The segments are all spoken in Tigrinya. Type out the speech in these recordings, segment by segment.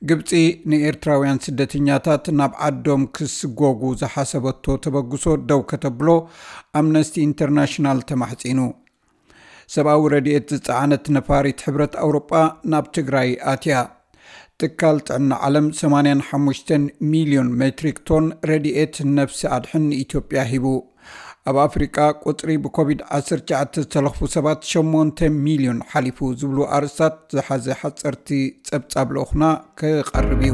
ግብጺ ንኤርትራውያን ስደተኛታት ናብ ዓዶም ክስጎጉ ዝሓሰበቶ ተበግሶ ደው ከተብሎ ኣምነስቲ ኢንተርናሽናል ተማሕጺኑ። ሰብኣዊ ረድኤት ዝጸዓነት ነፋሪት ሕብረት ኣውሮጳ ናብ ትግራይ ኣትያ። ትካል ጥዕና ዓለም ሰማንያን ሓሙሽተን ሚልዮን ሜትሪክ ቶን ረድኤት ነፍሲ ኣድሕን ንኢትዮጵያ ሂቡ። ኣብ ኣፍሪቃ ቁጽሪ ብኮቪድ ዓሰርተ ትሽዓተ ዝተለኽፉ ሰባት ሸሞንተ ሚልዮን ሓሊፉ ዝብሉ ኣርእስታት ዝሓዘ ሓጸርቲ ጸብጻብ ልኡኽና ክቐርብ እዩ።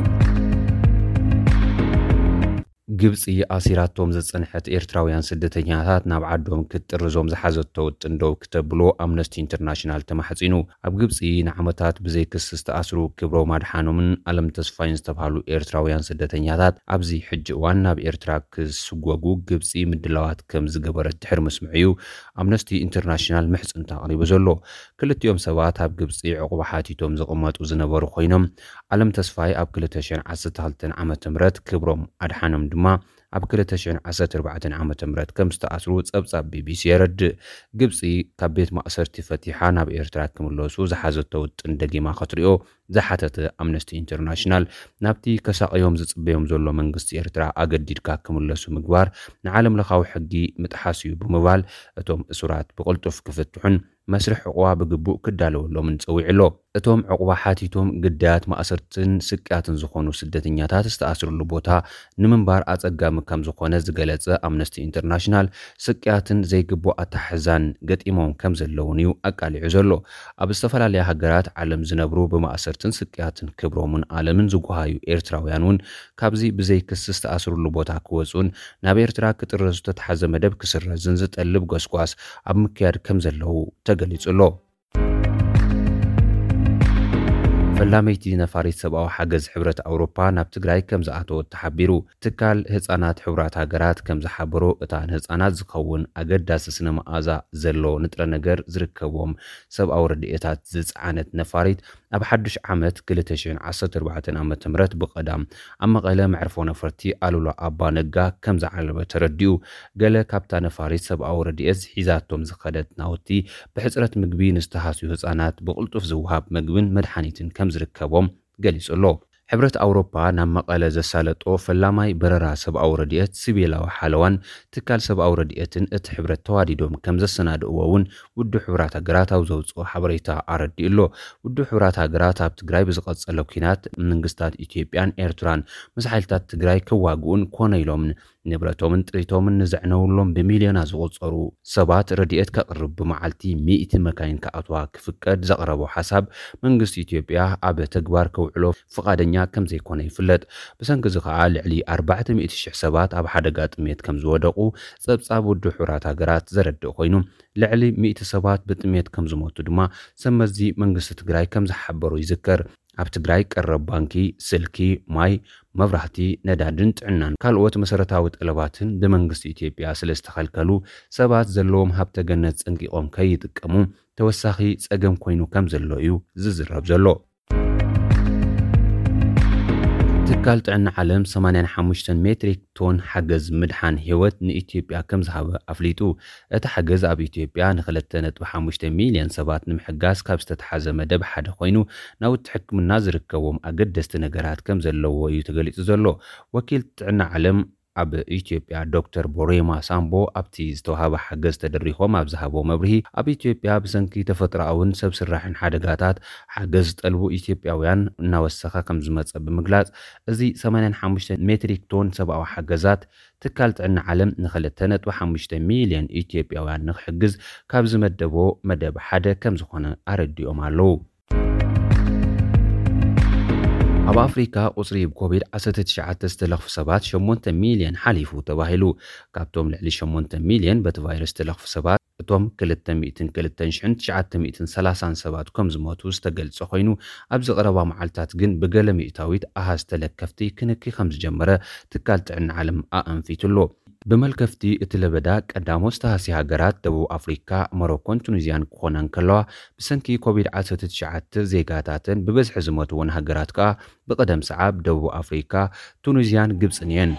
ግብጺ ኣሲራቶም ዝጸንሐት ኤርትራውያን ስደተኛታት ናብ ዓዶም ክትጥርዞም ዝሓዘቶ ውጥን ደው ክተብሎ ኣምነስቲ ኢንተርናሽናል ተማሕጺኑ። ኣብ ግብጺ ንዓመታት ብዘይ ክሲ ዝተኣስሩ ክብሮም ኣድሓኖምን ኣለም ተስፋይን ዝተባህሉ ኤርትራውያን ስደተኛታት ኣብዚ ሕጂ እዋን ናብ ኤርትራ ክስጎጉ ግብጺ ምድላዋት ከም ዝገበረት ድሕሪ ምስምዑ እዩ ኣምነስቲ ኢንተርናሽናል ምሕጽንታ ኣቕሪቡ ዘሎ። ክልቲኦም ሰባት ኣብ ግብጺ ዕቑባ ሓቲቶም ዝቕመጡ ዝነበሩ ኮይኖም ኣለም ተስፋይ ኣብ ክልተ ሽሕን ዓሰርተ ክልተን ዓመተ ምህረት ክብሮም ኣድሓኖም ድማ ኣብ ክልተ ሽሕን ዓሰርተ ኣርባዕተን ዓመተ ምህረት ከም ዝተኣስሩ ጸብጻብ ቢቢሲ የረድእ። ግብጺ ካብ ቤት ማእሰርቲ ፈቲሓ ናብ ኤርትራ ክምለሱ ዝሓዘቶ ውጥን ደጊማ ክትሪኦ ዝሓተተ ኣምነስቲ ኢንተርናሽናል ናብቲ ከሳቕዮም ዝጽበዮም ዘሎ መንግስቲ ኤርትራ ኣገዲድካ ክምለሱ ምግባር ንዓለም ለኻዊ ሕጊ ምጥሓስ እዩ ብምባል እቶም እሱራት ብቕልጡፍ ክፍትሑን መስርሕ ዕቑባ ብግቡእ ክዳለወሎምን ጸዊዑ ኣሎ። እቶም ዕቑባ ሓቲቶም ግዳያት ማእሰርትን ስቅያትን ዝኾኑ ስደተኛታት ዝተኣስርሉ ቦታ ንምንባር ኣጸጋሚ ከም ዝኾነ ዝገለጸ ኣምነስቲ ኢንተርናሽናል ስቅያትን ዘይግቡእ ኣተሓሕዛን ገጢሞም ከም ዘለውን እዩ ኣቃሊዑ ዘሎ። ኣብ ዝተፈላለያ ሃገራት ዓለም ዝነብሩ ብማእሰርትን ስቅያትን ክብሮምን ኣለምን ዝጓሃዩ ኤርትራውያን እውን ካብዚ ብዘይ ክሲ ዝተኣስርሉ ቦታ ክወጹን ናብ ኤርትራ ክጥረዙ ዝተታሓዘ መደብ ክስረዝን ዝጠልብ ጎስጓስ ኣብ ምክያድ ከም ዘለዉ ተገሊጹ ኣሎ። ፈላመይቲ ነፋሪት ሰብኣዊ ሓገዝ ሕብረት ኣውሮፓ ናብ ትግራይ ከም ዝኣተወት ተሓቢሩ። ትካል ህጻናት ሕቡራት ሃገራት ከም ዝሓበሮ እታ ንህጻናት ዝኸውን ኣገዳሲ ስነ መኣዛ ዘሎ ንጥረ ነገር ዝርከቦም ሰብኣዊ ረድኤታት ዝጸዓነት ነፋሪት ኣብ ሓዱሽ ዓመት ክልተ ሽሕን ዓሰርተ ኣርባዕተን ዓመተ ምህረት ብቐዳም ኣብ መቐለ መዕርፎ ነፈርቲ ኣሉላ ኣባ ነጋ ከም ዝዓለበ ተረዲኡ። ገለ ካብታ ነፋሪት ሰብኣዊ ረድኤት ሒዛቶም ዝኸደት ናውቲ ብሕጽረት ምግቢ ንዝተሃስዩ ህጻናት ብቕልጡፍ ዝወሃብ ምግብን መድሓኒትን ከም ዝርከቦም ገሊጹ ኣሎ። ሕብረት ኣውሮፓ ናብ መቐለ ዘሳለጦ ፈላማይ በረራ ሰብኣዊ ረድኤት ሲቪላዊ ሓለዋን ትካል ሰብኣዊ ረድኤትን እቲ ሕብረት ተዋዲዶም ከም ዘሰናድእዎ እውን ውድብ ሕቡራት ሃገራት ኣብ ዘውፅኦ ሓበሬታ ኣረዲኡ ኣሎ። ውድብ ሕቡራት ሃገራት ኣብ ትግራይ ብዝቐፀለ ኲናት መንግስታት ኢትዮጵያን ኤርትራን ምስ ሓይልታት ትግራይ ክዋግኡን ኮነ ኢሎምን ንብረቶምን ጥሪቶምን ንዘዕነውሎም ብሚልዮናት ዝቑጸሩ ሰባት ረድኤት ከቕርብ ብመዓልቲ ሚእቲ መካይን ክኣትዋ ክፍቀድ ዘቕረቦ ሓሳብ መንግስቲ ኢትዮጵያ ኣብ ተግባር ከውዕሎ ፍቓደኛ ከም ዘይኮነ ይፍለጥ። ብሰንኪ እዚ ከኣ ልዕሊ ኣርባዕተ ሚእቲ ሽሕ ሰባት ኣብ ሓደጋ ጥሜት ከም ዝወደቑ ጸብጻብ ውድብ ሕቡራት ሃገራት ዘረድእ ኮይኑ ልዕሊ ሚእቲ ሰባት ብጥሜት ከም ዝሞቱ ድማ ሰብ መዚ መንግስቲ ትግራይ ከም ዝሓበሩ ይዝከር። ኣብ ትግራይ ቀረብ ባንኪ፣ ስልኪ፣ ማይ፣ መብራህቲ፣ ነዳድን ጥዕናን ካልኦት መሰረታዊ ጠለባትን ብመንግስቲ ኢትዮጵያ ስለ ዝተኸልከሉ ሰባት ዘለዎም ሃብተ ገነት ጸንቂቖም ከይጥቀሙ ተወሳኺ ጸገም ኮይኑ ከም ዘሎ እዩ ዝዝረብ ዘሎ። ትካል ጥዕና ዓለም ሰማንያን ሓሙሽተን ሜትሪክ ቶን ሓገዝ ምድሓን ህይወት ንኢትዮጵያ ከም ዝሃበ ኣፍሊጡ። እቲ ሓገዝ ኣብ ኢትዮጵያ ንክልተ ነጥቢ ሓሙሽተ ሚልዮን ሰባት ንምሕጋዝ ካብ ዝተተሓዘ መደብ ሓደ ኮይኑ ናውቲ ሕክምና ዝርከቦም ኣገደስቲ ነገራት ከም ዘለዎ እዩ ተገሊጹ ዘሎ። ወኪል ጥዕና ዓለም ኣብ ኢትዮጵያ ዶክተር ቦሬማ ሳምቦ ኣብቲ ዝተዋሃበ ሓገዝ ተደሪኾም ኣብ ዝሃቦ መብርሂ ኣብ ኢትዮጵያ ብሰንኪ ተፈጥሮኣውን ሰብ ስራሕን ሓደጋታት ሓገዝ ዝጠልቡ ኢትዮጵያውያን እናወሰኸ ከም ዝመጸ ብምግላጽ እዚ ሰማንያን ሓሙሽተ ሜትሪክ ቶን ሰብኣዊ ሓገዛት ትካል ጥዕና ዓለም ንክልተ ነጥቢ ሓሙሽተ ሚልዮን ኢትዮጵያውያን ንክሕግዝ ካብ ዝመደቦ መደብ ሓደ ከም ዝኾነ ኣረዲኦም ኣለዉ። ኣብ ኣፍሪካ ቁፅሪ ብኮቪድ ዓሰርተ ትሽዓተ ዝተለኽፉ ሰባት ሸሞንተ ሚልዮን ሓሊፉ ተባሂሉ። ካብቶም ልዕሊ ሸሞንተ ሚልዮን በቲ ቫይረስ ዝተለኽፉ ሰባት እቶም ክልተ ሚእትን ክልተን ሽሕን ትሽዓተ ሚእትን ሰላሳን ሰባት ከም ዝሞቱ ዝተገልጸ ኮይኑ ኣብዚ ቀረባ መዓልታት ግን ብገለ ሚእታዊት ኣሃዝ ተለከፍቲ ክንኪ ከም ዝጀመረ ትካል ጥዕና ዓለም ኣኣንፊቱ ኣሎ። ብመልከፍቲ እቲ ለበዳ ቀዳሞት ዝተሃስያ ሃገራት ደቡብ ኣፍሪካ፣ ሞሮኮን ቱኒዝያን ክኾና እንከለዋ ብሰንኪ ኮቪድ ዓሰርተ ትሽዓተ ዜጋታተን ብበዝሒ ዝሞትወን ሃገራት ከኣ ብቐደም ሰዓብ ደቡብ ኣፍሪካ፣ ቱኒዝያን ግብፅን እየን።